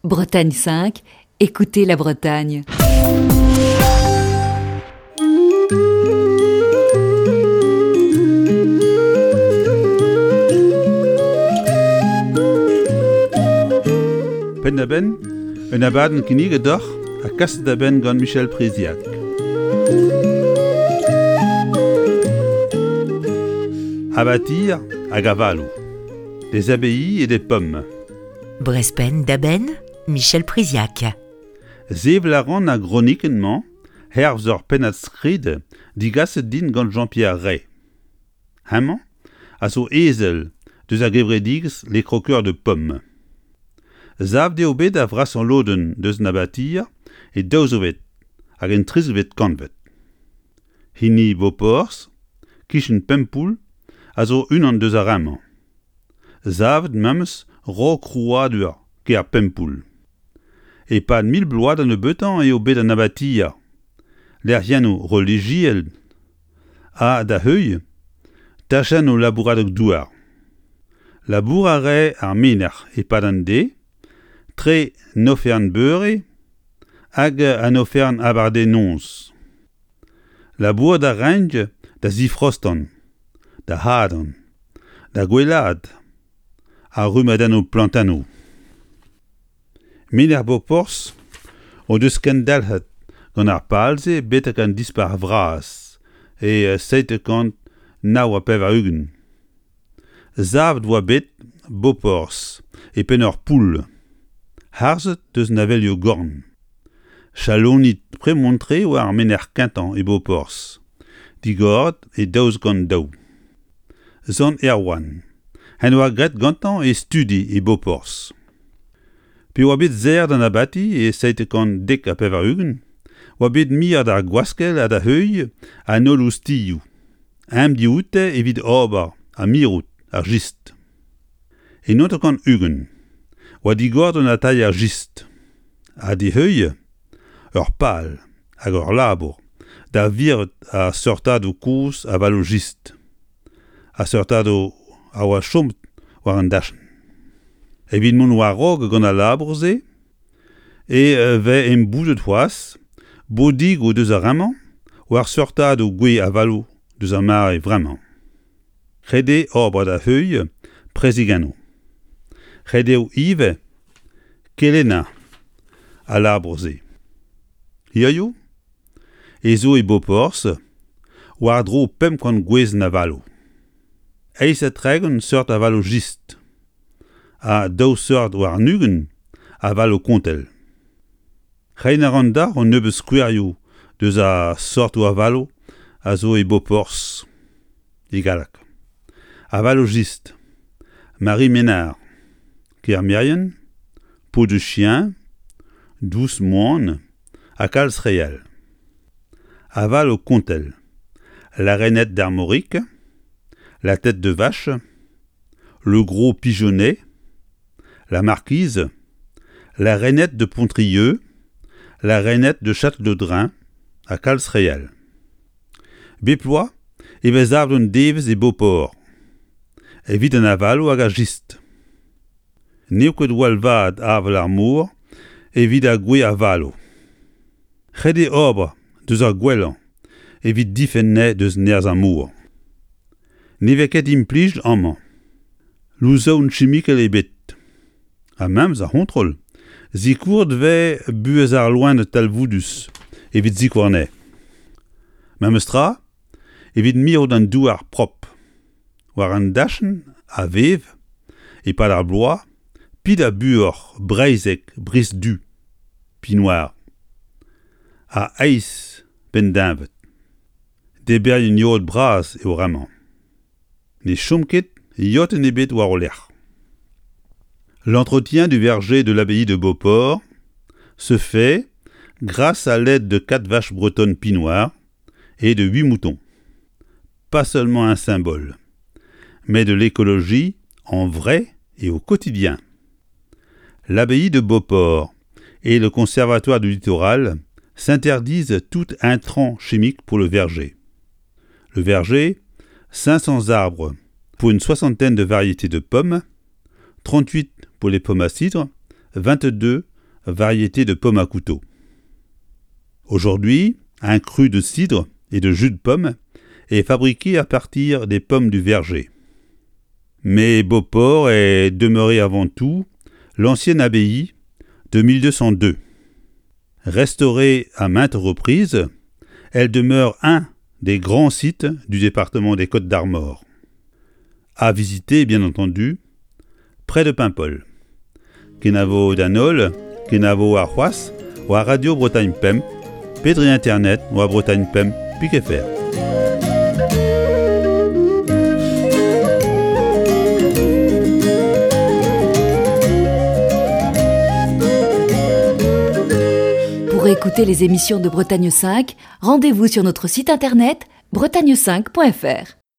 Bretagne 5, écoutez la Bretagne. Penn-da-benn, un abadenn kinniget deoc'h ha kaset da benn gant Michel Priziac. Abatir hag avaloù. Des abbayes et des pommes. Brezpenn da benn, Michel Priziac. Sevel a ran ar gronikenn-mañ hervez ur pennad-skrid digaset din gant Jean-Pierre Rey. Hemañ a zo ezel deus ar gevredigezh Les Croqueurs de Pommes. Savet eo bet ar vrasañ lodenn deus an abatier e daouzvet hag en trizvet kantved. Hini Boporzh, kichen Pempoull, a zo unan deus ar re-mañ. Savet memes 'raok krouadur kêr Pempoull. E-pad mil bloaz da nebeutañ eo bet an abatier lec'hiennoù relijiel ha, da heuilh, tachennoù labouradeg-douar. Labour a rae ar menec'h e-pad an deiz, tre 'n oferenn-beure hag an oferenn abardaez-noz. Labourat a raent da zifraostan, da hadan, da gwellaat ar rummadennoù plantennoù. Menec'h Boporzh o deus kendalc'het gant ar pal-se betek an Dispac'h Vras e 789. Savet 'oa bet Boporzh e penn ur poull, harzet deus an avelioù-gorn. Chaloni Premontre 'oa ar menec'h kentañ e Boporzh, digoret e 2002. Sant Erwan en doa graet gantañ e studi e Boporzh. Pe oa bet serret an abati e 790 'oa bet miret ar gwaskell ha da heuilh an holl oustilhoù. Eñ dioute evit ober ha mirout ar jistr. E 1920 oa digoret un atalier jistr ha d'e heuilh ur pal hag ur labour da virout ar seurtadoù kozh avaloù-jistr, ar seurtadoù a oa chomet war an dachenn. Evit mont war-raok gant al labour-se e vez emboudet c'hoazh bodigoù deus ar re-mañ war seurtadoù gwez avaloù deus ar mare vremañ. Ret eo ober da heuilh prezegennoù. Ret eo ivez kelennañ al labour-se. Hiziv ez zo e Boporzh war-dro 500 gwezenn avaloù. 38 seurt avaloù jistr ha daou seurt warn-ugent avaloù kontell. Reiñ a ran deoc'h un nebeud skouerioù deus ar seurtoù avaloù a zo e Boporzh e galleg. Avaloù jistr, Marie Ménard, Kermerien, Peau de chien, Dous moan ha kalz re all. Avaloù kontell, La Rainette d'Armorique, La Tête de Vache, Le Gros Pigeonnet, La Marquise, La Rainette de Pontrieux, La Rainette de Château-Drain ha kalz re all. Bep bloaz e vez savet un devezh e Beauport evit an avaloù hag ar jistr. N'eo ket gwall vat avel ar mor evit ar gwez avaloù. Ret eo ober deus ar gwellañ evit difenn anezhe deus nerzh ar mor. Ne vez ket implijet amañ louzaouenn chimikel ebet. Ha memes ar c'hontrol, sikouret 'vez buhez ar loened talvoudus evit sikour anezhe. Memes tra evit mirout an douar prop. War an dachenn a vev, e-pad ar bloaz, pid ha buoc'h breizhek brizh-du, pinoir, ha eizh penn-deñved. Debrerien yod bras eo bremañ. Ne chom ket yotenn ebet war o lerc'h. L'entretien du verger de l'abbaye de Beauport se fait grâce à l'aide de quatre vaches bretonnes pinoires et de huit moutons. Pas seulement un symbole, mais de l'écologie en vrai et au quotidien. L'abbaye de Beauport et le conservatoire du littoral s'interdisent tout intrant chimique pour le verger. Le verger, 500 arbres pour une soixantaine de variétés de pommes, 38 pour les pommes à cidre, 22 variété de pomme à couteau. Aujourd'hui, un cru de cidre et de jus de pomme est fabriqué à partir des pommes du verger. Mais Beauport est demeuré avant tout l'ancienne abbaye de 1202. Restaurée à maintes reprises, elle demeure un des grands sites du département des Côtes-d'Armor. À visiter, bien entendu, près de Paimpol. Kenavo d'an holl, kenavo arc'hoazh war Radio Bretagne Pemp pe dre internet war Bretagne Pemp pik fr. Pour écouter les émissions de Bretagne 5, rendez-vous sur notre site internet bretagne5.fr.